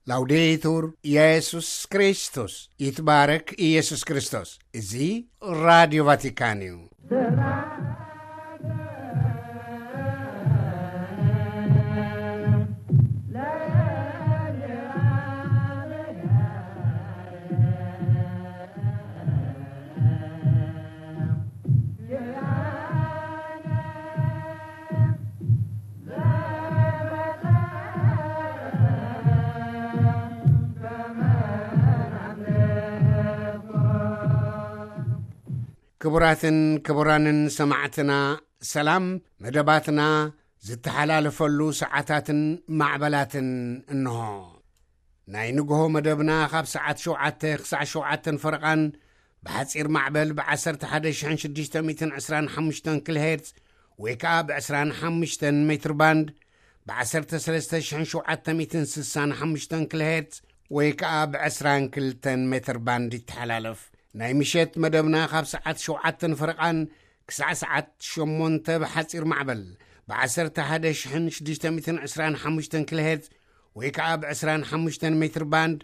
ላውዴቱር ኢየሱስ ክርስቶስ፣ ይትባረክ ኢየሱስ ክርስቶስ። እዚ ራዲዮ ቫቲካን እዩ። ክቡራትን ክቡራንን ሰማዕትና፣ ሰላም። መደባትና ዝተሓላለፈሉ ሰዓታትን ማዕበላትን እንሆ። ናይ ንግሆ መደብና ካብ ሰዓት ሸውዓተ ክሳዕ ሸውዓተን ፈረቓን ብሓጺር ማዕበል ብ11,625 ኪሎ ሄርትዝ ወይ ከኣ ብ25 ሜትር ባንድ፣ ብ13,765 ኪሎ ሄርትዝ ወይ ከኣ ብ22 ሜትር ባንድ ይተሓላለፍ። ናይ ምሸት መደብና ካብ ሰዓት ሸውዓተን ፈረቓን ክሳዕ ሰዓት ሸሞንተ ብሓጺር ማዕበል ብ11,625 ኪሎ ሄርትዝ ወይ ከኣ ብ25 ሜትር ባንድ፣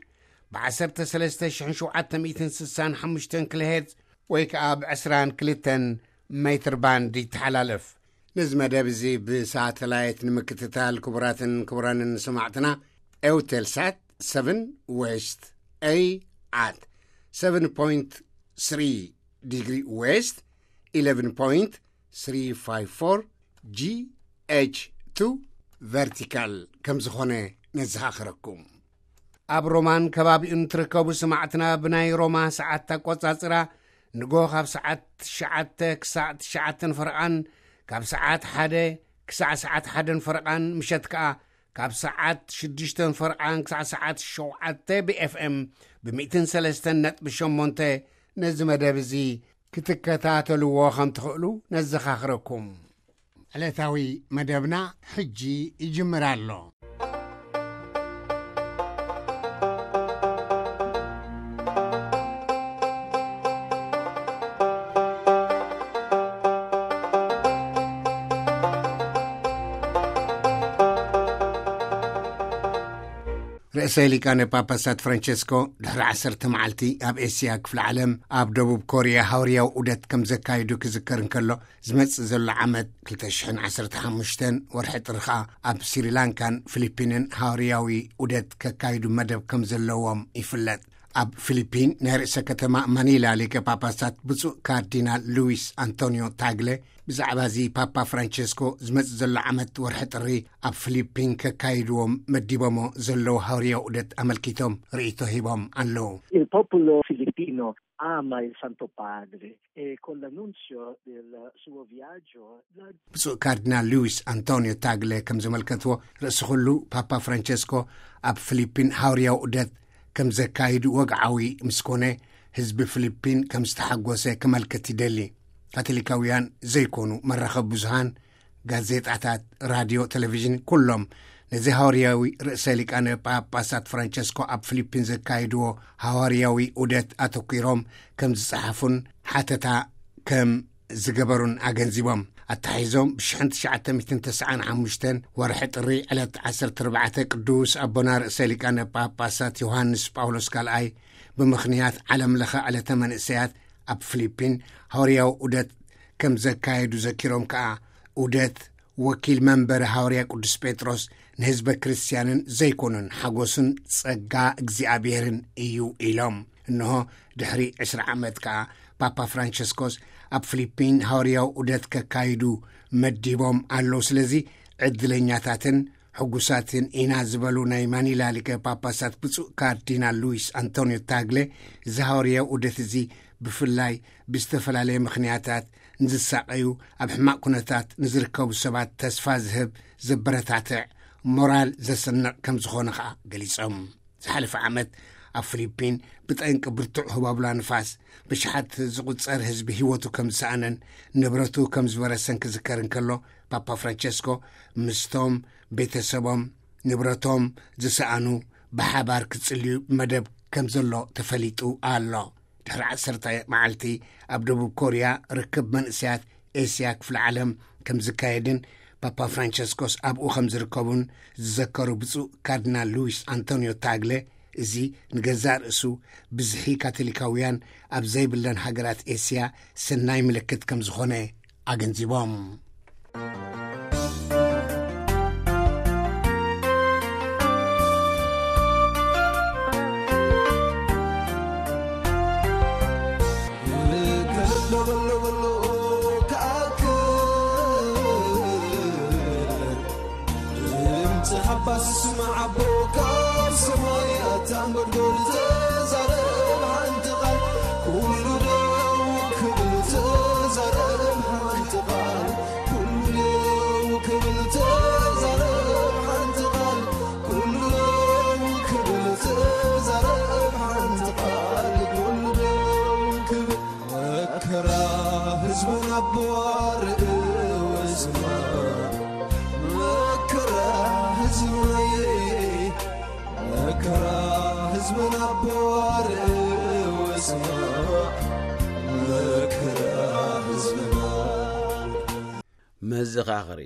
ብ13,765 ኪሎ ሄርትዝ ወይ ከኣ ብ22 ሜትር ባንድ ይተሓላለፍ። ነዚ መደብ እዚ ብሳተላይት ንምክትታል፣ ክቡራትን ክቡራንን ሰማዕትና፣ ኤውቴልሳት ሰቨን ዌስት ኤ ኣት ሰቨን ፖይንት ስሪ ዲግሪ ዌስት፣ ኢለቨን ፖይንት ስሪ ፋይቭ ፎር ጂ ኤች ቱ ቨርቲካል ከም ዝኾነ ነዘኻኽረኩም። ኣብ ሮማን ከባቢኡን ትርከቡ ሰማዕትና፣ ብናይ ሮማ ሰዓት ኣቆጻጽራ ንጎ ካብ ሰዓት ትሽዓተ ክሳዕ ትሽዓተን ፈረቓን፣ ካብ ሰዓት ሓደ ክሳዕ ሰዓት ሓደን ፈረቓን፣ ምሸት ከኣ ካብ ሰዓት ሽዱሽተን ፈረቓን ክሳዕ ሰዓት ሸውዓተ ብ ኤፍ ኤም ብ ሚእትን ሰለስተን ነጥቢ ሸሞንተ ነዚ መደብ እዚ ክትከታተልዎ ከም ትኽእሉ ነዘኻኽረኩም። ዕለታዊ መደብና ሕጂ ይጅምር ኣሎ። ርእሰ ሊቃነ ጳጳሳት ፍራንቸስኮ ድሕሪ ዓሰርተ መዓልቲ ኣብ ኤስያ ክፍለ ዓለም ኣብ ደቡብ ኮርያ ሃዋርያዊ ዑደት ከም ዘካይዱ ክዝከር እንከሎ፣ ዝመጽእ ዘሎ ዓመት ክልተ ሽሕን ዓሰርተ ሓሙሽተን ወርሒ ጥሪ ኸኣ ኣብ ስሪላንካን ፊሊፒንን ሃዋርያዊ ዑደት ከካይዱ መደብ ከም ዘለዎም ይፍለጥ። ኣብ ፊሊፒን ናይ ርእሰ ከተማ ማኒላ ሊቀ ጳጳሳት ብፁዕ ካርዲናል ሉዊስ ኣንቶኒዮ ታግለ ብዛዕባ እዚ ፓፓ ፍራንቸስኮ ዝመጽእ ዘሎ ዓመት ወርሒ ጥሪ ኣብ ፊሊፒን ከካይድዎም መዲቦሞ ዘለዉ ሃዋርያዊ ዑደት ኣመልኪቶም ርእይቶ ሂቦም ኣለዉ። Il popolo filippino ama il Santo Padre e con l'annunzio del suo viaggio la ብፁዕ ካርዲናል ሉዊስ ኣንቶኒዮ ታግለ ከም ዘመልከትዎ፣ ርእሲ ኩሉ ፓፓ ፍራንቸስኮ ኣብ ፊሊፒን ሃዋርያዊ ዑደት ከም ዘካይድ ወግዓዊ ምስ ኮነ፣ ህዝቢ ፊሊፒን ከም ዝተሓጎሰ ከመልክት ይደሊ። ካቶሊካውያን ዘይኮኑ መራኸቢ ብዙሃን፣ ጋዜጣታት፣ ራድዮ፣ ቴሌቪዥን፣ ኩሎም ነዚ ሃዋርያዊ ርእሰ ሊቃነ ጳጳሳት ፍራንቸስኮ ኣብ ፊሊፒን ዘካይድዎ ሃዋርያዊ ዑደት ኣተኲሮም ከም ዝጸሓፉን ሓተታ ከም ዝገበሩን ኣገንዚቦም። ኣተሓሒዞም፣ ብ1995 ወርሒ ጥሪ ዕለት ዓሰርተ ኣርባዕተ ቅዱስ ኣቦና ርእሰ ሊቃነ ጳጳሳት ዮሃንስ ጳውሎስ ካልኣይ ብምኽንያት ዓለም ለኸ ዕለተ መንእሰያት ኣብ ፊሊፒን ሃዋርያዊ ዑደት ከም ዘካየዱ ዘኪሮም ከኣ፣ ዑደት ወኪል መንበሪ ሃዋርያ ቅዱስ ጴጥሮስ ንህዝበ ክርስትያንን ዘይኮኑን ሓጎስን ጸጋ እግዚኣብሔርን እዩ ኢሎም። እንሆ ድሕሪ ዕስራ ዓመት ከኣ ፓፓ ፍራንቸስኮስ ኣብ ፊሊፒን ሃዋርያዊ ዑደት ከካይዱ መዲቦም ኣለዉ። ስለዚ ዕድለኛታትን ሕጉሳትን ኢና ዝበሉ ናይ ማኒላ ሊቀ ጳጳሳት ብፁዕ ካርዲናል ሉዊስ ኣንቶኒዮ ታግለ፣ እዚ ሃዋርያዊ ዑደት እዚ ብፍላይ ብዝተፈላለየ ምኽንያታት ንዝሳቐዩ፣ ኣብ ሕማቕ ኩነታት ንዝርከቡ ሰባት ተስፋ ዝህብ፣ ዘበረታትዕ፣ ሞራል ዘስንቕ ከም ዝኾነ ኸኣ ገሊጾም። ዝሓለፈ ዓመት ኣብ ፊሊፒን ብጠንቂ ብርቱዕ ህቦብላ ንፋስ ብሽሓት ዝቑጸር ህዝቢ ህይወቱ ከም ዝሰኣነን ንብረቱ ከም ዝበረሰን ክዝከር እንከሎ፣ ፓፓ ፍራንቸስኮ ምስቶም ቤተሰቦም ንብረቶም ዝሰኣኑ ብሓባር ክጽልዩ መደብ ከም ዘሎ ተፈሊጡ ኣሎ። ድሕሪ ዓሰርተ መዓልቲ ኣብ ደቡብ ኮርያ ርክብ መንእሰያት ኤስያ ክፍለ ዓለም ከም ዝካየድን ፓፓ ፍራንቸስኮስ ኣብኡ ከም ዝርከቡን ዝዘከሩ ብፁዕ ካርዲናል ሉዊስ ኣንቶኒዮ ታግለ፣ እዚ ንገዛእ ርእሱ ብዝሒ ካቶሊካውያን ኣብ ዘይብለን ሃገራት ኤስያ ሰናይ ምልክት ከም ዝኾነ ኣገንዚቦም። ድምፂ ሓባስ ስማዕ ኣቦ ካብ ሰማይ ኣታ እንጎድጎድ ተዛረብ ሓንቲ ቃል ኩሉ ደው ክብል ተዛረብ ሓንቲ ቃል ኩሉ ደው ክብል ተዛረብ ሓንቲ ቃል ኩሉ ደው ክብል ተዛረብ ሓንቲ ቃል ኩሉ ደው ክብል መከራ ህዝብና ኣቦ ኣርእዮ ስማ መከራ ህዝብና መከራ ህዝብና ኣቦ ኣርእዮ ስማ መከራ ህዝብና። መዘኻኸሪ።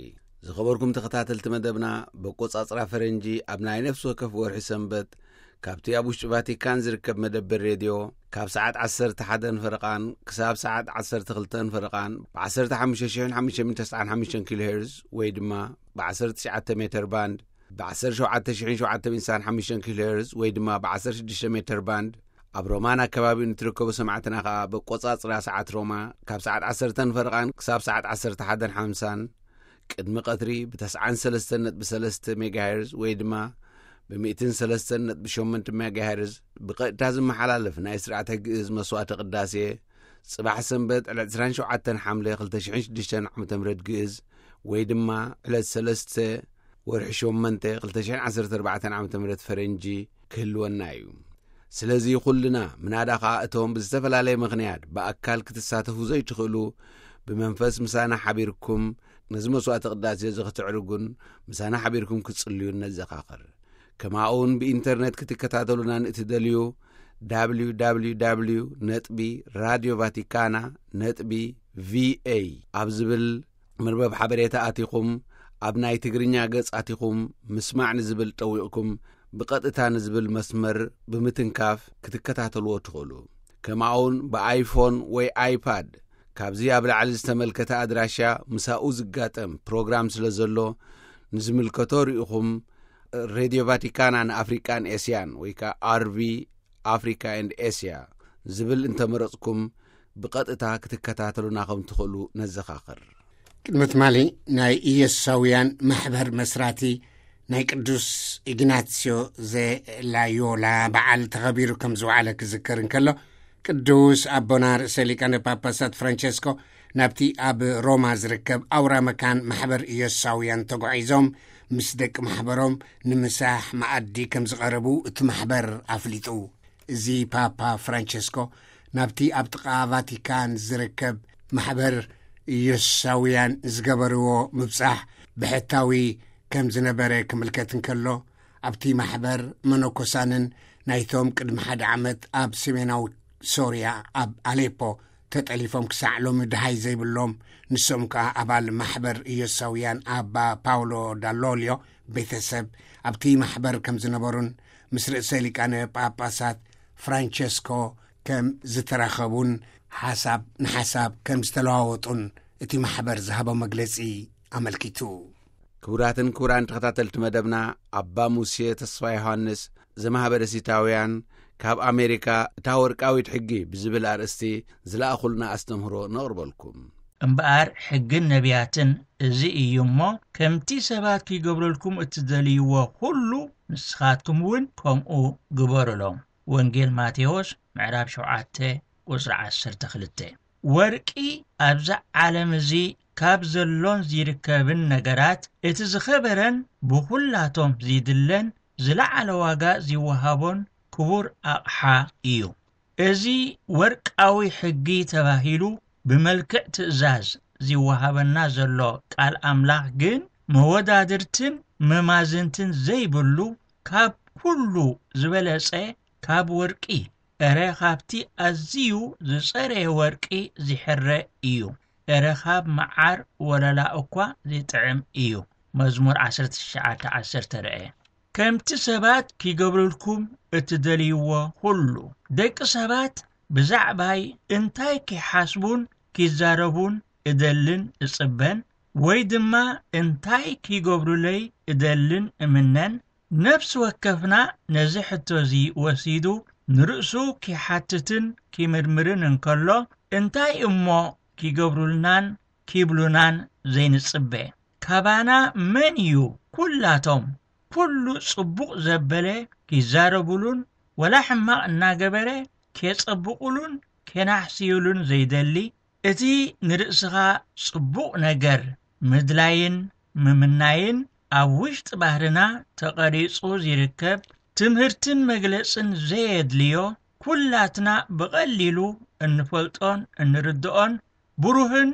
ዝኸበርኩም ተኸታተልቲ መደብና፣ በቆጻጽራ ፈረንጂ ኣብ ናይ ነፍሲ ወከፍ ወርሒ ሰንበት ካብቲ ኣብ ውሽጢ ቫቲካን ዝርከብ መደበር ሬድዮ ካብ ሰዓት ዓሰርተ ሓደን ፈረቓን ክሳብ ሰዓት ዓሰርተ ክልተን ፈረቓን ብ ዓሰርተ ሓሙሽተ ሽሕን ሓሙሽተ ሚእትን ተስዓን ሓሙሽተን ኪሎ ሄርዝ ወይ ድማ ብ ዓሰርተ ትሽዓተ ሜተር ባንድ ብ ዓሰርተ ሸውዓተ ሽሕን ሸውዓተ ሚእትን ሓሙሽተን ኪሎ ሄርዝ ወይ ድማ ብ ዓሰርተ ሽዱሽተ ሜተር ባንድ ኣብ ሮማን ኣከባቢኡ ንትርከቡ ሰማዕትና ከኣ በቆጻጽራ ሰዓት ሮማ ካብ ሰዓት ዓሰርተን ፈረቓን ክሳብ ሰዓት ዓሰርተ ሓደን ሓምሳን ቅድሚ ቀትሪ ብ ተስዓን ሰለስተን ነጥቢ ሰለስተ ሜጋሄርዝ ወይ ድማ ብ ሚእትን ሰለስተን ነጥቢ ሸሞንተ ሜጋሄርዝ ብቐጥታ ዝመሓላለፍ ናይ ስርዓተ ግእዝ መስዋዕተ ቅዳሴ ጽባሕ ሰንበት ዕለት ዕስራን ሸውዓተን ሓምለ ክልተ ሽሕን ሽዱሽተን ዓመተ ምህረት ግእዝ ወይ ድማ ዕለት ሰለስተ ወርሒ ሸሞንተ ክልተ ሽሕን ዓሰርተ ኣርባዕተን ዓመተ ምህረት ፈረንጂ ክህልወና እዩ። ስለዚ ኩልና ምናዳ ኸኣ እቶም ብዝተፈላለየ ምኽንያት ብኣካል ክትሳተፉ ዘይትኽእሉ ብመንፈስ ምሳና ሓቢርኩም ነዚ መስዋዕተ ቅዳሴ እዚ ክትዕርጉን ምሳና ሓቢርኩም ክትጽልዩን ነዘኻኽር። ከማኡውን ብኢንተርኔት ክትከታተሉና ንእትደልዩ www ነጥቢ ራድዮ ቫቲካና ነጥቢ ቪኤ ኣብ ዝብል መርበብ ሓበሬታ ኣቲኹም ኣብ ናይ ትግርኛ ገጽ ኣቲኹም ምስማዕ ንዝብል ጠዊቕኩም ብቐጥታ ንዝብል መስመር ብምትንካፍ ክትከታተልዎ ትኽእሉ። ከማኡውን ብኣይፎን ወይ ኣይፓድ ካብዚ ኣብ ላዕሊ ዝተመልከተ ኣድራሻ ምሳኡ ዝጋጠም ፕሮግራም ስለ ዘሎ ንዝምልከቶ ርኢኹም ሬድዮ ቫቲካና ንኣፍሪቃን ኤስያን ወይ ከዓ ኣርቪ ኣፍሪካ ኤንድ ኤስያ ዝብል እንተመረጽኩም ብቐጥታ ክትከታተሉና ከም ትኽእሉ ነዘኻኽር። ቅድሚ ትማሊ ናይ ኢየሱሳውያን ማሕበር መስራቲ ናይ ቅዱስ ኢግናስዮ ዘላዮላ በዓል ተኸቢሩ ከም ዝወዓለ ክዝከር እንከሎ ቅዱስ ኣቦና ርእሰ ሊቃነ ጳጳሳት ፍራንቸስኮ ናብቲ ኣብ ሮማ ዝርከብ ኣውራ መካን ማሕበር ኢየሱሳውያን ተጓዒዞም ምስ ደቂ ማሕበሮም ንምሳሕ መኣዲ ከም ዝቐረቡ እቲ ማሕበር ኣፍሊጡ። እዚ ፓፓ ፍራንቸስኮ ናብቲ ኣብ ጥቓ ቫቲካን ዝርከብ ማሕበር ኢየሱሳውያን ዝገበርዎ ምብጻሕ ብሕታዊ ከም ዝነበረ ክምልከት እንከሎ ኣብቲ ማሕበር መነኮሳንን ናይቶም ቅድሚ ሓደ ዓመት ኣብ ሰሜናዊ ሶርያ ኣብ ኣሌፖ ተጠሊፎም ክሳዕ ሎሚ ድሃይ ዘይብሎም ንሶም ከኣ ኣባል ማሕበር ኢየሱሳውያን ኣባ ፓውሎ ዳሎልዮ ቤተሰብ ኣብቲ ማሕበር ከም ዝነበሩን ምስ ርእሰ ሊቃነ ጳጳሳት ፍራንቸስኮ ከም ዝተራኸቡን ሓሳብ ንሓሳብ ከም ዝተለዋወጡን እቲ ማሕበር ዝሃቦ መግለጺ ኣመልኪቱ። ክቡራትን ክቡራን ተኸታተልቲ መደብና ኣባ ሙሴ ተስፋ ዮሃንስ ዘማህበረ ሲታውያን ካብ ኣሜሪካ እታ ወርቃዊት ሕጊ ብዝብል ኣርእስቲ ዝለኣኹልና ኣስተምህሮ ነቕርበልኩም። እምበኣር ሕግን ነቢያትን እዚ እዩ እሞ ከምቲ ሰባት ክይገብረልኩም እትደልይዎ ኩሉ ንስኻትኩም እውን ከምኡ ግበሩሎም። ወንጌል ማቴዎስ ምዕራፍ ሸውዓተ ቁጽሪ ዓሰርተ ክልተ። ወርቂ ኣብዛ ዓለም እዚ ካብ ዘሎን ዝርከብን ነገራት እቲ ዝኸበረን ብኹላቶም ዝድለን ዝለዓለ ዋጋ ዝወሃቦን ክቡር ኣቕሓ እዩ። እዚ ወርቃዊ ሕጊ ተባሂሉ ብመልክዕ ትእዛዝ ዝወሃበና ዘሎ ቃል ኣምላኽ ግን መወዳድርትን መማዝንትን ዘይብሉ ካብ ኩሉ ዝበለጸ ካብ ወርቂ እረ ካብቲ ኣዝዩ ዝጸረየ ወርቂ ዝሕረ እዩ። ኤረኻብ መዓር ወለላ እኳ ዚጥዕም እዩ። መዝሙር ዓሰርተ ትሽዓተ ዓሰርተ ርኤ። ከምቲ ሰባት ኪገብሩልኩም እትደልይዎ ኩሉ። ደቂ ሰባት ብዛዕባይ እንታይ ኪሓስቡን ኪዛረቡን እደልን እጽበን፣ ወይ ድማ እንታይ ኪገብሩለይ እደልን እምነን፣ ነፍሲ ወከፍና ነዚ ሕቶ እዚ ወሲዱ ንርእሱ ኪሓትትን ኪምርምርን እንከሎ፣ እንታይ እሞ ኪገብሩልናን ኪብሉናን ዘይንጽበ? ካባና መን እዩ ኩላቶም ኩሉ ጽቡቕ ዘበለ ኪዛረቡሉን ወላ ሕማቕ እናገበረ ኬጸብቑሉን ኬናሕስዩሉን ዘይደሊ? እቲ ንርእስኻ ጽቡቕ ነገር ምድላይን ምምናይን ኣብ ውሽጢ ባህርና ተቐሪጹ ዚርከብ ትምህርትን መግለጽን ዘየድልዮ ኩላትና ብቐሊሉ እንፈልጦን እንርድኦን ብሩህን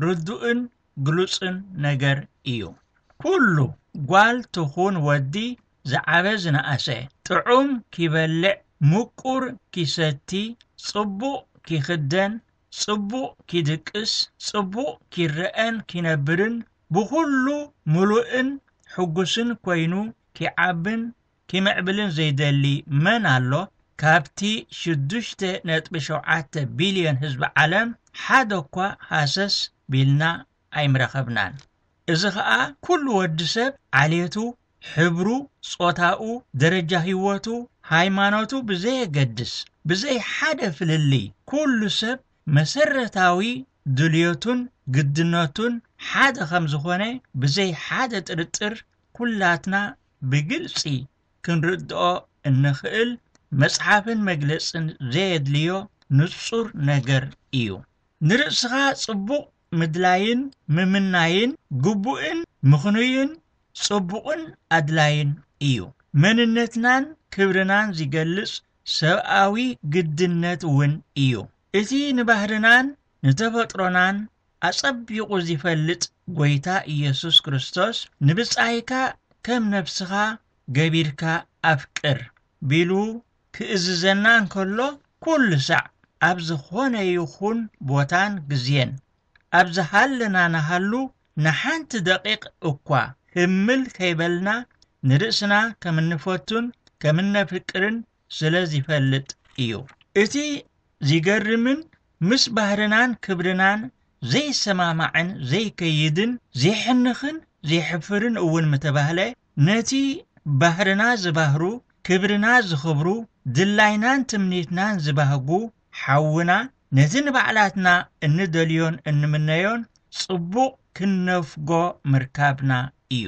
ርዱእን ግሉጽን ነገር እዩ። ኩሉ ጓል ትኹን ወዲ ዝዓበ ዝነኣሰ ጥዑም ኪበልዕ ምቁር ኪሰቲ ጽቡቕ ኪኽደን ጽቡቕ ኪድቅስ ጽቡቕ ኪረአን ኪነብርን ብኹሉ ምሉእን ሕጉስን ኮይኑ ኪዓብን ኪምዕብልን ዘይደሊ መን ኣሎ? ካብቲ ሽዱሽተ ነጥቢ ሸውዓተ ቢልዮን ህዝቢ ዓለም ሓደ እኳ ሃሰስ ቢልና ኣይምረኸብናን። እዚ ኸኣ ኩሉ ወዲ ሰብ ዓሌቱ፣ ሕብሩ፣ ጾታኡ፣ ደረጃ ህይወቱ፣ ሃይማኖቱ ብዘየገድስ ብዘይ ሓደ ፍልልይ ኩሉ ሰብ መሰረታዊ ድልዮቱን ግድነቱን ሓደ ከም ዝኾነ ብዘይ ሓደ ጥርጥር ኩላትና ብግልጺ ክንርድኦ እንኽእል መጽሓፍን መግለጽን ዘየድልዮ ንጹር ነገር እዩ። ንርእስኻ ጽቡቕ ምድላይን ምምናይን ግቡእን ምኽኑይን ጽቡቕን ኣድላይን እዩ። መንነትናን ክብርናን ዚገልጽ ሰብኣዊ ግድነት እውን እዩ። እቲ ንባህርናን ንተፈጥሮናን ኣጸቢቑ ዚፈልጥ ጐይታ ኢየሱስ ክርስቶስ፣ "ንብጻይካ ከም ነፍስኻ ገቢርካ ኣፍቅር" ቢሉ ክእዝዘና እንከሎ፣ ኩሉ ሳዕ ኣብ ዝኾነ ይኹን ቦታን ግዜን፣ ኣብ ዝሃለና ንሃሉ፣ ንሓንቲ ደቂቕ እኳ ህምል ከይበልና ንርእስና ከም እንፈቱን ከም እነፍቅርን ስለ ዚፈልጥ እዩ። እቲ ዚገርምን ምስ ባህርናን ክብርናን ዘይሰማማዕን ዘይከይድን ዜሕንኽን ዜሕፍርን እውን ምተባህለ፣ ነቲ ባህርና ዝባህሩ፣ ክብርና ዝኽብሩ፣ ድላይናን ትምኒትናን ዝባህጉ ሓውና፣ ነቲ ንባዕላትና እንደልዮን እንምነዮን ጽቡቕ ክንነፍጎ ምርካብና እዩ።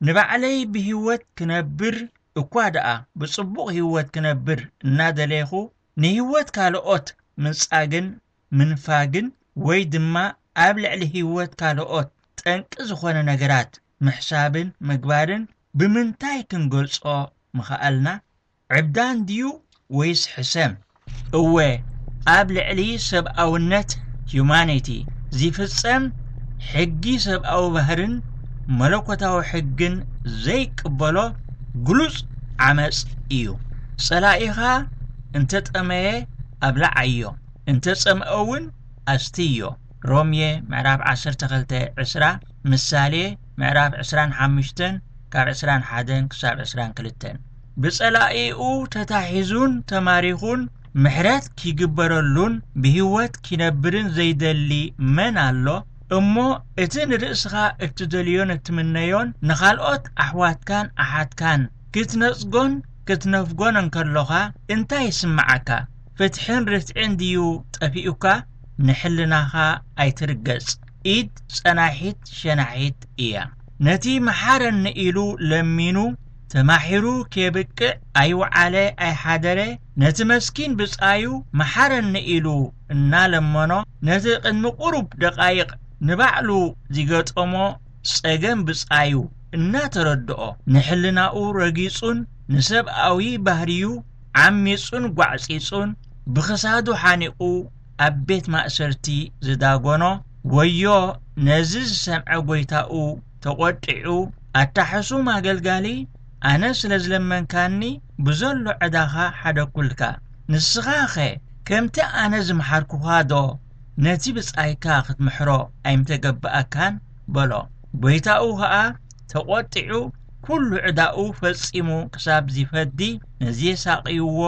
ንባዕለይ ብህይወት ክነብር እኳ ደኣ ብጽቡቕ ህይወት ክነብር እናደለይኹ፣ ንህይወት ካልኦት ምንጻግን ምንፋግን ወይ ድማ ኣብ ልዕሊ ህይወት ካልኦት ጠንቂ ዝኾነ ነገራት ምሕሳብን ምግባርን ብምንታይ ክንገልጾ ምኸኣልና? ዕብዳን ድዩ ወይስ ሕሰም? እወ፣ ኣብ ልዕሊ ሰብኣውነት፣ humanity፣ ዚፍጸም ሕጊ ሰብኣዊ ባህርን መለኮታዊ ሕግን ዘይቅበሎ ግሉጽ ዓመጽ እዩ። ጸላኢኻ እንተ ጠመየ ኣብላዓዮ፣ እንተ ጸምአ እውን ኣስትዮ። ሮምየ ምዕራፍ ዓሰርተ ክልተ ዕስራ፣ ምሳሌ ምዕራፍ ዕስራን ሓሙሽተን ካብ ዕስራን ሓደን ክሳብ ዕስራን ክልተን። ብጸላኢኡ ተታሒዙን ተማሪኹን ምሕረት ኪግበረሉን ብህይወት ኪነብርን ዘይደሊ መን ኣሎ? እሞ እቲ ንርእስኻ እትደልዮን እትምነዮን ንኻልኦት ኣሕዋትካን ኣሓትካን ክትነጽጎን ክትነፍጎን እንከሎኻ እንታይ ይስምዓካ? ፍትሕን ርትዕን ድዩ ጠፊኡካ? ንሕልናኻ ኣይትርገጽ። ኢድ ጸናሒት ሸናሒት እያ። ነቲ መሓረኒ ኢሉ ለሚኑ፣ ተማሒሩ ኬብቅዕ ኣይወዓለ ኣይሓደረ፣ ነቲ መስኪን ብጻዩ መሓረኒ ኢሉ እናለመኖ፣ ነቲ ቅድሚ ቁሩብ ደቓይቕ ንባዕሉ ዚገጠሞ ጸገም ብጻዩ እናተረድኦ፣ ንሕልናኡ ረጊጹን ንሰብኣዊ ባህርዩ ዓሚጹን ጓዕጺጹን ብኽሳዱ ሓኒቑ ኣብ ቤት ማእሰርቲ ዝዳጎኖ፣ ወዮ ነዚ ዝሰምዐ ጐይታኡ ተቖጢዑ፣ ኣታ ሕሱም ኣገልጋሊ፣ ኣነ ስለ ዝለመንካኒ ብዘሎ ዕዳኻ ሓደግኩልካ። ንስኻኸ ከምቲ ኣነ ዝመሓርኩኻዶ ነቲ ብጻይካ ክትምሕሮ ኣይምተገብኣካን በሎ። ጎይታኡ ኸኣ ተቖጢዑ፣ ኩሉ ዕዳኡ ፈጺሙ ክሳብ ዚፈዲ ነዚ የሳቕይዎ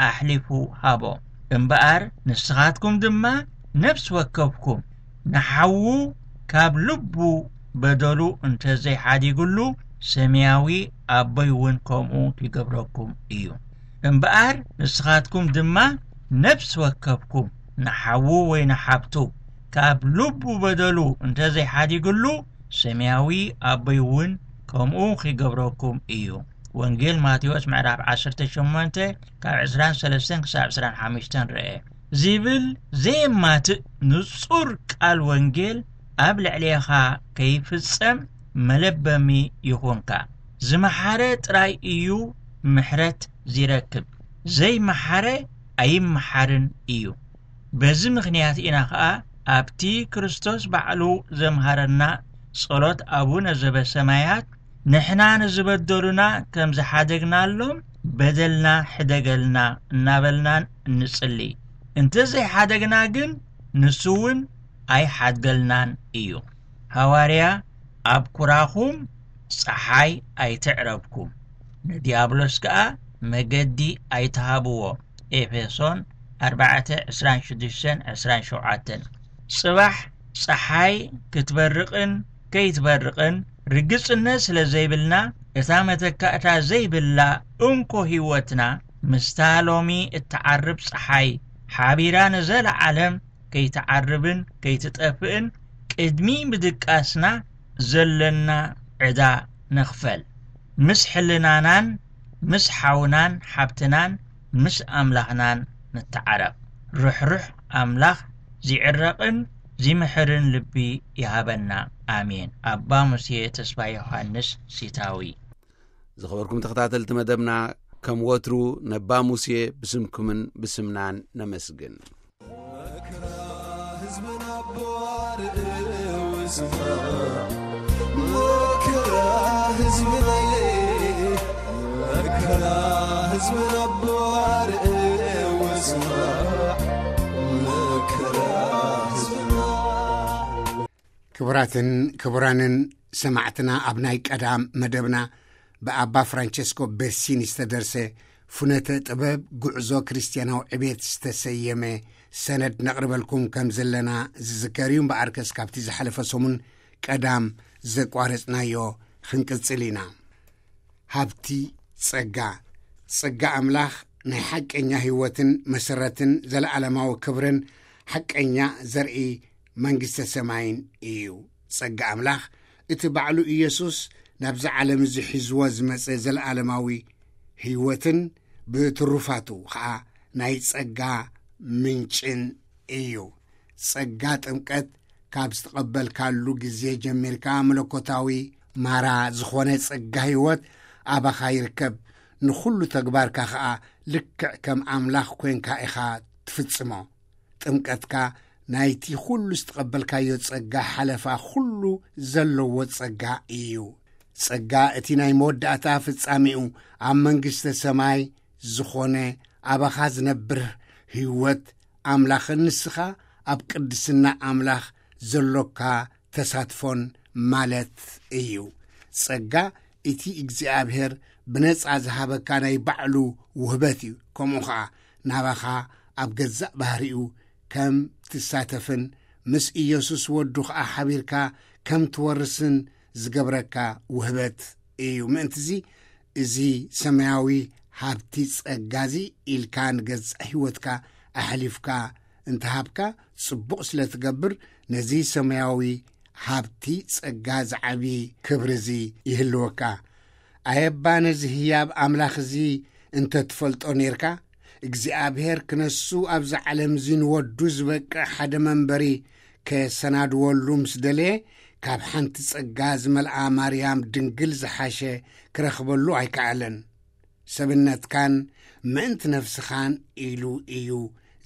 ኣሕሊፉ ሃቦ። እምበኣር ንስኻትኩም ድማ ነፍሲ ወከፍኩም ንሓዉ ካብ ልቡ በደሉ እንተ ዘይሓዲግሉ፣ ሰማያዊ ኣቦይ እውን ከምኡ ይገብረኩም እዩ። እምበኣር ንስኻትኩም ድማ ነፍሲ ወከፍኩም ንሓዉ ወይ ንሓብቱ ካብ ልቡ በደሉ እንተ ዘይሓዲግሉ፣ ሰማያዊ ኣቦይ እውን ከምኡ ኺገብረኩም እዩ። ወንጌል ማቴዎስ ምዕራፍ ዓሰርተ ሸሞንተ ካብ ዕስራን ሰለስተን ክሳብ ዕስራን ሓሙሽተን ርአ። ዚብል ዘየማትእ ንጹር ቃል ወንጌል ኣብ ልዕሌኻ ከይፍጸም መለበሚ ይኹንካ። ዝመሓረ ጥራይ እዩ ምሕረት ዚረክብ፣ ዘይመሓረ ኣይመሓርን እዩ። በዚ ምኽንያት ኢና ኸኣ ኣብቲ ክርስቶስ ባዕሉ ዘምሃረና ጸሎት ኣቡነ ዘበሰማያት፣ ንሕና ንዝበደሉና ከም ዝሓደግናሎም በደልና ሕደገልና እናበልናን እንጽሊ። እንተ ዘይሓደግና ግን ንሱ እውን ኣይሓድገልናን እዩ። ሃዋርያ፣ ኣብ ኩራኹም ጸሓይ ኣይትዕረብኩም፣ ንዲያብሎስ ከኣ መገዲ ኣይትሃብዎ። ኤፌሶን ኣርባዕተ ዕስራን ሽዱሽተን ዕስራን ሸውዓተን። ጽባሕ ጸሓይ ክትበርቕን ከይትበርቕን ርግጽነት ስለ ዘይብልና፣ እታ መተካእታ ዘይብላ እንኮ ህይወትና ምስታ ሎሚ እትዓርብ ጸሓይ ሓቢራ ንዘለዓለም ከይትዓርብን ከይትጠፍእን ቅድሚ ምድቃስና ዘለና ዕዳ ንኽፈል። ምስ ሕልናናን ምስ ሓውናን ሓብትናን ምስ ኣምላኽናን ንተዓረቕ። ርሕሩሕ ኣምላኽ ዚዕረቕን ዚምሕርን ልቢ ይሃበና። ኣሜን። ኣባ ሙሴ ተስፋ ዮሃንስ ሲታዊ። ዝኸበርኩም ተኸታተልቲ መደብና፣ ከም ወትሩ ነባ ሙሴ ብስምኩምን ብስምናን ነመስግን። መከራ ህዝብና ኣቦ ኣርእው ስማ፣ መከራ ህዝብና፣ መከራ ህዝብና ኣቦ ኣርእው ስማ፣ መከራ ህዝብና። ክቡራትን ክቡራንን ሰማዕትና፣ ኣብ ናይ ቀዳም መደብና ብኣባ ፍራንቸስኮ ቤሲኒ ዝተደርሰ ፍኖተ ጥበብ ጉዕዞ ክርስትያናዊ ዕቤት ዝተሰየመ ሰነድ ነቕርበልኩም ከም ዘለና ዝዝከር እዩ። እምበኣርከስ ካብቲ ዝሓለፈ ሰሙን ቀዳም ዘቋረጽናዮ ክንቅጽል ኢና። ሃብቲ ጸጋ። ጸጋ ኣምላኽ ናይ ሓቀኛ ህይወትን መሰረትን ዘለዓለማዊ ክብርን ሓቀኛ ዘርኢ መንግስተ ሰማይን እዩ። ጸጋ ኣምላኽ እቲ ባዕሉ ኢየሱስ ናብዚ ዓለም እዚ ሒዝዎ ዝመጸ ዘለዓለማዊ ህይወትን ብትሩፋቱ ኸኣ ናይ ጸጋ ምንጭን እዩ። ጸጋ ጥምቀት ካብ ዝተቐበልካሉ ግዜ ጀሚርካ መለኮታዊ ማራ ዝኾነ ጸጋ ህይወት ኣባኻ ይርከብ። ንኹሉ ተግባርካ ኸኣ ልክዕ ከም ኣምላኽ ኮንካ ኢኻ ትፍጽሞ። ጥምቀትካ ናይቲ ኩሉ ዝተቐበልካዮ ጸጋ ሓለፋ ኩሉ ዘለዎ ጸጋ እዩ። ጸጋ እቲ ናይ መወዳእታ ፍጻሜኡ ኣብ መንግስተ ሰማይ ዝኾነ ኣባኻ ዝነብር ህይወት ኣምላኽን ንስኻ ኣብ ቅድስና ኣምላኽ ዘሎካ ተሳትፎን ማለት እዩ። ጸጋ እቲ እግዚኣብሔር ብነጻ ዝሃበካ ናይ ባዕሉ ውህበት እዩ። ከምኡ ኸኣ ናባኻ ኣብ ገዛእ ባህሪኡ ከም ትሳተፍን ምስ ኢየሱስ ወዱ ኸኣ ሓቢርካ ከም ትወርስን ዝገብረካ ውህበት እዩ። ምእንትዚ እዚ ሰማያዊ ሃብቲ ጸጋ እዚ ኢልካ ንገዛእ ህይወትካ ኣሕሊፍካ እንተሃብካ ጽቡቕ ስለ ትገብር ነዚ ሰማያዊ ሃብቲ ጸጋ ዝዓቢ ክብሪ እዚ ይህልወካ። ኣየባ ነዚ ህያብ ኣምላኽ እዚ እንተ ትፈልጦ ኔርካ፣ እግዚኣብሔር ክነሱ ኣብዚ ዓለም እዚ ንወዱ ዝበቅዕ ሓደ መንበሪ ከየሰናድወሉ ምስ ደለየ፣ ካብ ሓንቲ ጸጋ ዝመልኣ ማርያም ድንግል ዝሓሸ ክረኽበሉ ኣይከኣለን። ሰብነትካን ምእንቲ ነፍስኻን ኢሉ እዩ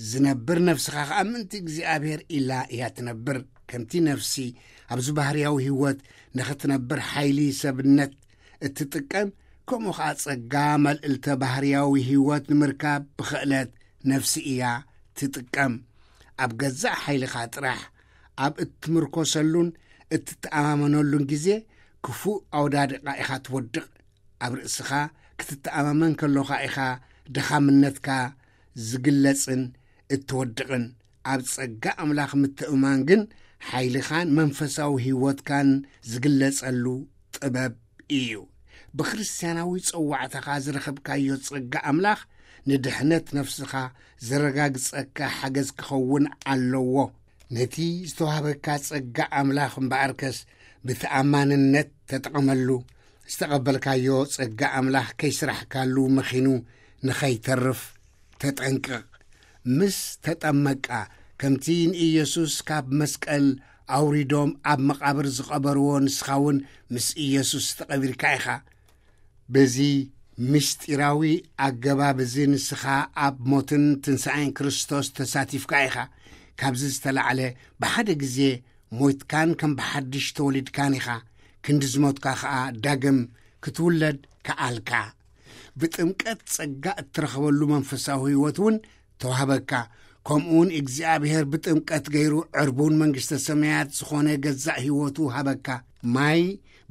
ዝነብር፣ ነፍስኻ ኸኣ ምእንቲ እግዚኣብሔር ኢላ እያ ትነብር። ከምቲ ነፍሲ ኣብዚ ባህርያዊ ህይወት ንኽትነብር ሓይሊ ሰብነት እትጥቀም፣ ከምኡ ኸኣ ጸጋ መልእልተ ባህርያዊ ህይወት ንምርካብ ብኽእለት ነፍሲ እያ ትጥቀም። ኣብ ገዛእ ሓይልኻ ጥራሕ ኣብ እትምርኮሰሉን እትተኣማመነሉን ግዜ፣ ክፉእ ኣወዳድቓ ኢኻ ትወድቕ። ኣብ ርእስኻ ክትተኣማመን ከሎኻ ኢኻ ድኻምነትካ ዝግለጽን እትወድቕን። ኣብ ጸጋ ኣምላኽ ምትእማን ግን ሓይልኻን መንፈሳዊ ህይወትካን ዝግለጸሉ ጥበብ እዩ። ብክርስትያናዊ ጸዋዕታኻ ዝረኸብካዮ ጸጋ ኣምላኽ ንድሕነት ነፍስኻ ዘረጋግጸካ ሓገዝ ክኸውን ኣለዎ። ነቲ ዝተዋህበካ ጸጋ ኣምላኽ እምበኣርከስ ብተኣማንነት ተጠቐመሉ። ዝተቐበልካዮ ጸጋ ኣምላኽ ከይስራሕካሉ መኺኑ ንኸይተርፍ ተጠንቅቕ። ምስ ተጠመቅካ፣ ከምቲ ንኢየሱስ ካብ መስቀል ኣውሪዶም ኣብ መቓብር ዝቐበርዎ፣ ንስኻ እውን ምስ ኢየሱስ ተቐቢርካ ኢኻ። በዚ ምስጢራዊ ኣገባብ እዚ ንስኻ ኣብ ሞትን ትንሳኤን ክርስቶስ ተሳቲፍካ ኢኻ። ካብዚ ዝተላዕለ፣ ብሓደ ግዜ ሞይትካን ከም ብሓድሽ ተወሊድካን ኢኻ። ክንዲ ዝሞትካ ኸኣ ዳግም ክትውለድ ከኣልካ። ብጥምቀት ጸጋ እትረኽበሉ መንፈሳዊ ህይወት እውን ተዋህበካ። ከምኡውን እግዚኣብሔር ብጥምቀት ገይሩ ዕርቡን መንግስተ ሰማያት ዝኾነ ገዛእ ህይወቱ ሃበካ። ማይ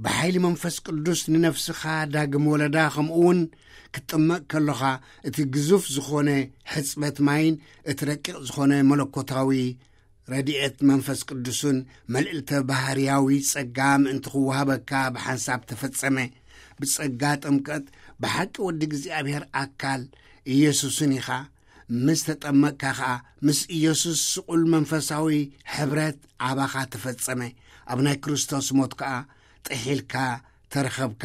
ብሓይሊ መንፈስ ቅዱስ ንነፍስኻ ዳግም ወለዳ፣ ከምኡውን ክትጥመቕ ከሎኻ እቲ ግዙፍ ዝኾነ ሕጽበት ማይን እቲ ረቂቕ ዝኾነ መለኮታዊ ረድኤት መንፈስ ቅዱስን መልእልተ ባህርያዊ ጸጋ ምእንቲ ክወሃበካ ብሓንሳብ ተፈጸመ። ብጸጋ ጥምቀት ብሓቂ ወዲ እግዚኣብሔር ኣካል ኢየሱስን ኢኻ። ምስ ተጠመቅካ ኸኣ ምስ ኢየሱስ ስቑል መንፈሳዊ ሕብረት ኣባኻ ተፈጸመ። ኣብ ናይ ክርስቶስ ሞት ከኣ ጥሒልካ ተረኸብካ።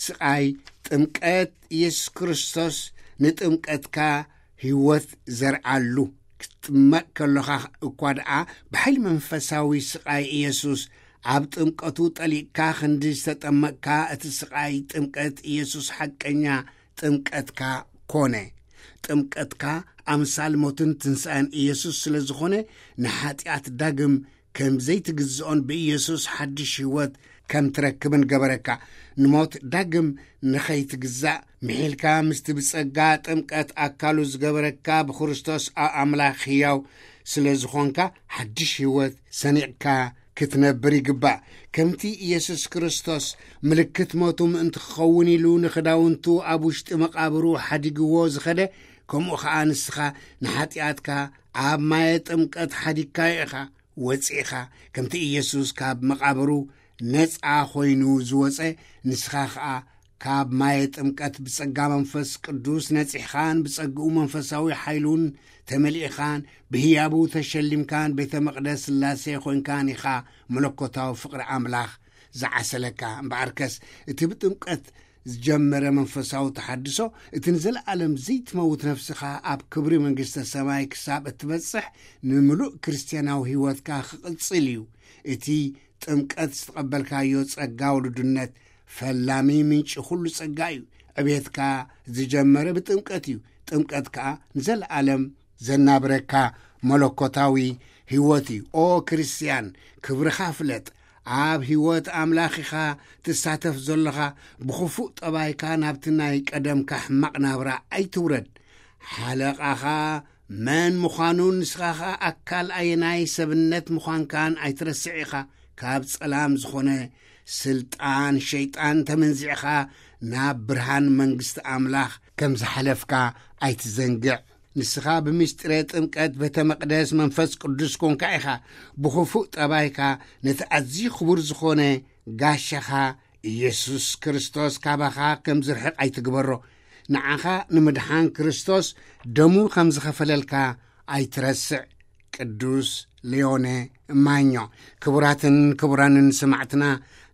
ስቓይ ጥምቀት ኢየሱስ ክርስቶስ ንጥምቀትካ ህይወት ዘርኣሉ። ክትጥመቕ ከሎኻ እኳ ደኣ ብሓይሊ መንፈሳዊ ስቓይ ኢየሱስ ኣብ ጥምቀቱ ጠሊቕካ ክንዲ ዝተጠመቕካ፣ እቲ ስቓይ ጥምቀት ኢየሱስ ሓቀኛ ጥምቀትካ ኮነ። ጥምቀትካ ኣምሳል ሞትን ትንሳኤን ኢየሱስ ስለ ዝኾነ፣ ንሓጢኣት ዳግም ከም ዘይትግዝኦን ብኢየሱስ ሓድሽ ህይወት ከም ትረክብን ገበረካ። ንሞት ዳግም ንኸይትግዛእ ምሒልካ ምስቲ ብጸጋ ጥምቀት ኣካሉ ዝገበረካ ብክርስቶስ ኣብ ኣምላኽ ህያው ስለ ዝኾንካ፣ ሓድሽ ህይወት ሰኒቕካ ክትነብር ይግባእ። ከምቲ ኢየሱስ ክርስቶስ ምልክት ሞቱ ምእንቲ ክኸውን ኢሉ ንኽዳውንቱ ኣብ ውሽጢ መቓብሩ ሓዲግዎ ዝኸደ፣ ከምኡ ኸኣ ንስኻ ንሓጢኣትካ ኣብ ማየ ጥምቀት ሓዲግካዮ ኢኻ። ወጺእኻ፣ ከምቲ ኢየሱስ ካብ መቓብሩ ነጻ ኾይኑ ዝወጸ፣ ንስኻ ኸኣ ካብ ማየ ጥምቀት ብጸጋ መንፈስ ቅዱስ ነጺሕኻን ብጸግኡ መንፈሳዊ ሓይሉን ተመሊእኻን ብህያቡ ተሸሊምካን ቤተ መቕደስ ሥላሴ ኾይንካን ኢኻ። መለኮታዊ ፍቕሪ ኣምላኽ ዝዓሰለካ። እምበኣርከስ እቲ ብጥምቀት ዝጀመረ መንፈሳዊ ተሓድሶ፣ እቲ ንዘለኣለም ዘይትመውት ነፍስኻ ኣብ ክብሪ መንግስተ ሰማይ ክሳብ እትበጽሕ፣ ንምሉእ ክርስትያናዊ ህይወትካ ክቕጽል እዩ። እቲ ጥምቀት ዝተቐበልካዮ ጸጋ ውሉድነት ፈላሚ ምንጪ ኩሉ ጸጋ እዩ። ዕቤትካ ዝጀመረ ብጥምቀት እዩ። ጥምቀት ከኣ ንዘለኣለም ዘናብረካ መለኮታዊ ህይወት እዩ። ኦ ክርስትያን፣ ክብርኻ ፍለጥ። ኣብ ህይወት ኣምላኽ ኢኻ ትሳተፍ ዘለኻ። ብኽፉእ ጠባይካ ናብቲ ናይ ቀደምካ ሕማቕ ናብራ ኣይትውረድ። ሓለቓኻ መን ምዃኑን ንስኻ ኸኣ ኣካል ኣየናይ ሰብነት ምዃንካን ኣይትረስዕ ኢኻ። ካብ ጸላም ዝኾነ ስልጣን ሸይጣን ተመንዚዕኻ ናብ ብርሃን መንግስቲ ኣምላኽ ከም ዝሓለፍካ ኣይትዘንግዕ። ንስኻ ብምስጢረ ጥምቀት ቤተ መቕደስ መንፈስ ቅዱስ ኮንካ ኢኻ። ብኽፉእ ጠባይካ ነቲ ኣዝዩ ክቡር ዝኾነ ጋሻኻ ኢየሱስ ክርስቶስ ካባኻ ከም ዝርሕቕ ኣይትግበሮ። ንዓኻ ንምድሓን ክርስቶስ ደሙ ከም ዝኸፈለልካ ኣይትረስዕ። ቅዱስ ሊዮነ ማኞ። ክቡራትን ክቡራንን ሰማዕትና፣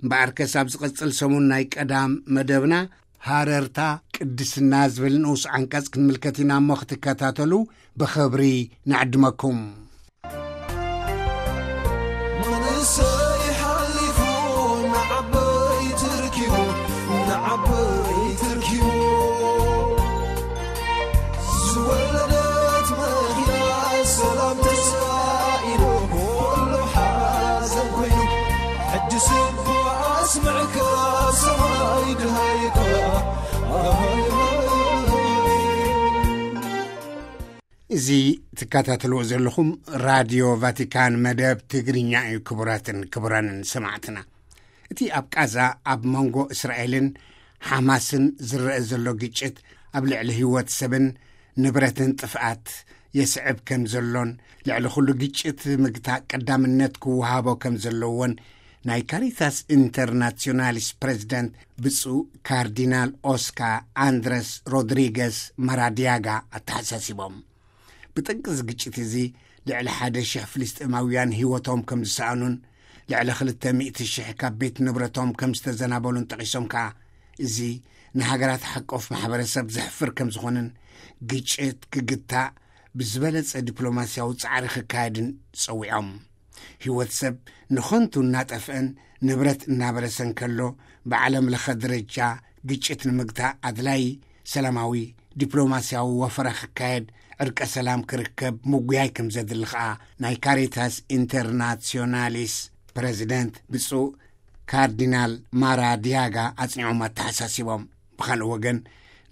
እምበኣርከስ ኣብ ዝቐጽል ሰሙን ናይ ቀዳም መደብና ሃረርታ ቅድስና ዝብል ንኡስ ዓንቀጽ ክንምልከት ኢና እሞ ክትከታተሉ ብኽብሪ ንዕድመኩም። መንእሰይ ሓሊፉ ንዓበይቲ ርኪቡ፣ ንዓበይቲ ርኪቡ። ዝወለደት መኪና ሰላም ተሳኢኑ፣ ኩሉ ሓዘን ኮይኑ፣ ሕጂ ስቡእ ኣስምዕካ ሰማይ ድሃይካ። እዚ ትከታተልዎ ዘለኹም ራድዮ ቫቲካን መደብ ትግርኛ እዩ። ክቡራትን ክቡራንን ሰማዕትና፣ እቲ ኣብ ቃዛ ኣብ መንጎ እስራኤልን ሓማስን ዝረአ ዘሎ ግጭት ኣብ ልዕሊ ህይወት ሰብን ንብረትን ጥፍኣት የስዕብ ከም ዘሎን፣ ልዕሊ ኩሉ ግጭት ምግታ ቀዳምነት ክወሃቦ ከም ዘለዎን ናይ ካሪታስ ኢንተርናሲዮናሊስ ፕሬዚደንት ብፁዕ ካርዲናል ኦስካ ኣንድረስ ሮድሪገስ ማራዲያጋ ኣተሓሳሲቦም። ብጠንቂ እዚ ግጭት እዚ ልዕሊ ሓደ ሽሕ ፍልስጤማውያን ህይወቶም ከም ዝሰኣኑን ልዕሊ ክልተ ሚእቲ ሽሕ ካብ ቤት ንብረቶም ከም ዝተዘናበሉን ጠቒሶም ከኣ፣ እዚ ንሃገራት ሓቆፍ ማሕበረሰብ ዘሕፍር ከም ዝኾነን፣ ግጭት ክግታእ ብዝበለጸ ዲፕሎማስያዊ ጻዕሪ ክካየድን ጸዊዖም። ህይወት ሰብ ንኸንቱ እናጠፍአን ንብረት እናበረሰን ከሎ፣ ብዓለም ለኸ ደረጃ ግጭት ንምግታእ ኣድላዪ ሰላማዊ ዲፕሎማስያዊ ወፈራ ክካየድ፣ ዕርቀ ሰላም ክርከብ ምጉያይ ከም ዘድሊ ኸኣ ናይ ካሪታስ ኢንተርናሲዮናሊስ ፕረዚደንት ብፁዕ ካርዲናል ማራ ዲያጋ ኣጽኒዖም ኣተሓሳሲቦም። ብኻልእ ወገን፣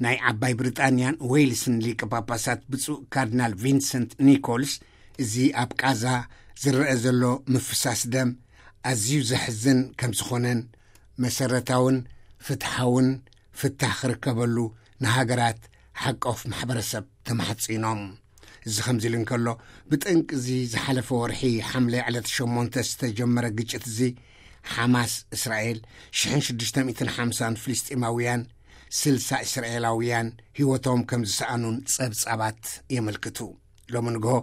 ናይ ዓባይ ብሪጣንያን ዌልስን ሊቀ ጳጳሳት ብፁዕ ካርዲናል ቪንሰንት ኒኮልስ፣ እዚ ኣብ ቃዛ ዝረአ ዘሎ ምፍሳስ ደም ኣዝዩ ዘሕዝን ከም ዝኾነን፣ መሰረታውን ፍትሓውን ፍታሕ ክርከበሉ ንሃገራት ሓቆፍ ማሕበረሰብ ተማሕጺኖም። እዚ ከምዚ ኢሉ እንከሎ፣ ብጠንቂ እዚ ዝሓለፈ ወርሒ ሓምለ ዕለት ሸሞንተ ዝተጀመረ ግጭት እዚ፣ ሓማስ እስራኤል ሽሕን ሽዱሽተ ሚእትን ሓምሳን ፍልስጤማውያን፣ ስልሳ እስራኤላውያን ህይወቶም ከም ዝሰኣኑን ጸብጻባት የመልክቱ። ሎሚ ንግሆ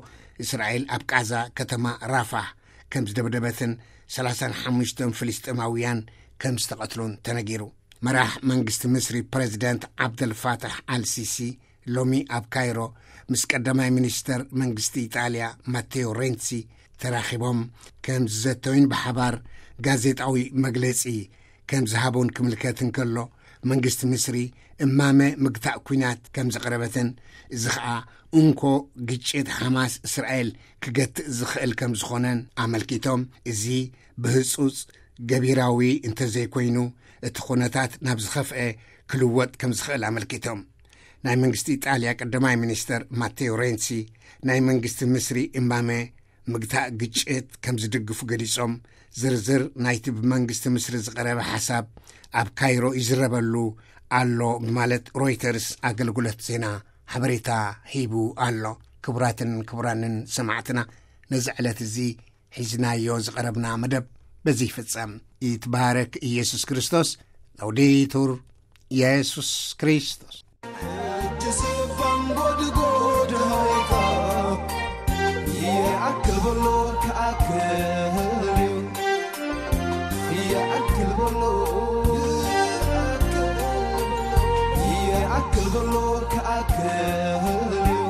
እስራኤል ኣብ ቃዛ ከተማ ራፋህ ከም ዝደብደበትን ሰላሳን ሓሙሽተን ፍልስጤማውያን ከም ዝተቐትሉን ተነጊሩ። መራሕ መንግስቲ ምስሪ ፕረዚደንት ዓብደልፋታሕ ኣልሲሲ ሎሚ ኣብ ካይሮ ምስ ቀዳማይ ሚኒስተር መንግስቲ ኢጣልያ ማቴዮ ሬንሲ ተራኺቦም ከም ዝዘተዩን ብሓባር ጋዜጣዊ መግለጺ ከም ዝሃቡን ክምልከት እንከሎ፣ መንግስቲ ምስሪ እማመ ምግታእ ኲናት ከም ዘቕረበትን፣ እዚ ኸኣ እንኮ ግጭት ሓማስ እስራኤል ክገትእ ዝኽእል ከም ዝኾነን ኣመልኪቶም፣ እዚ ብህጹጽ ገቢራዊ እንተዘይኮይኑ፣ እቲ ኩነታት ናብ ዝኸፍአ ክልወጥ ከም ዝኽእል ኣመልኪቶም። ናይ መንግስቲ ኢጣልያ ቀዳማይ ሚኒስተር ማቴዮ ሬንሲ፣ ናይ መንግስቲ ምስሪ እማመ ምግታእ ግጭት ከም ዝድግፉ ገሊጾም፣ ዝርዝር ናይቲ ብመንግስቲ ምስሪ ዝቐረበ ሓሳብ ኣብ ካይሮ ይዝረበሉ ኣሎ ብማለት ሮይተርስ ኣገልግሎት ዜና ሓበሬታ ሂቡ ኣሎ። ክቡራትን ክቡራንን ሰማዕትና፣ ነዚ ዕለት እዚ ሒዝናዮ ዝቐረብና መደብ በዚ ይፍጸም። ይትባረክ ኢየሱስ ክርስቶስ። ላውዴቱር ኢየሱስ ክርስቶስ።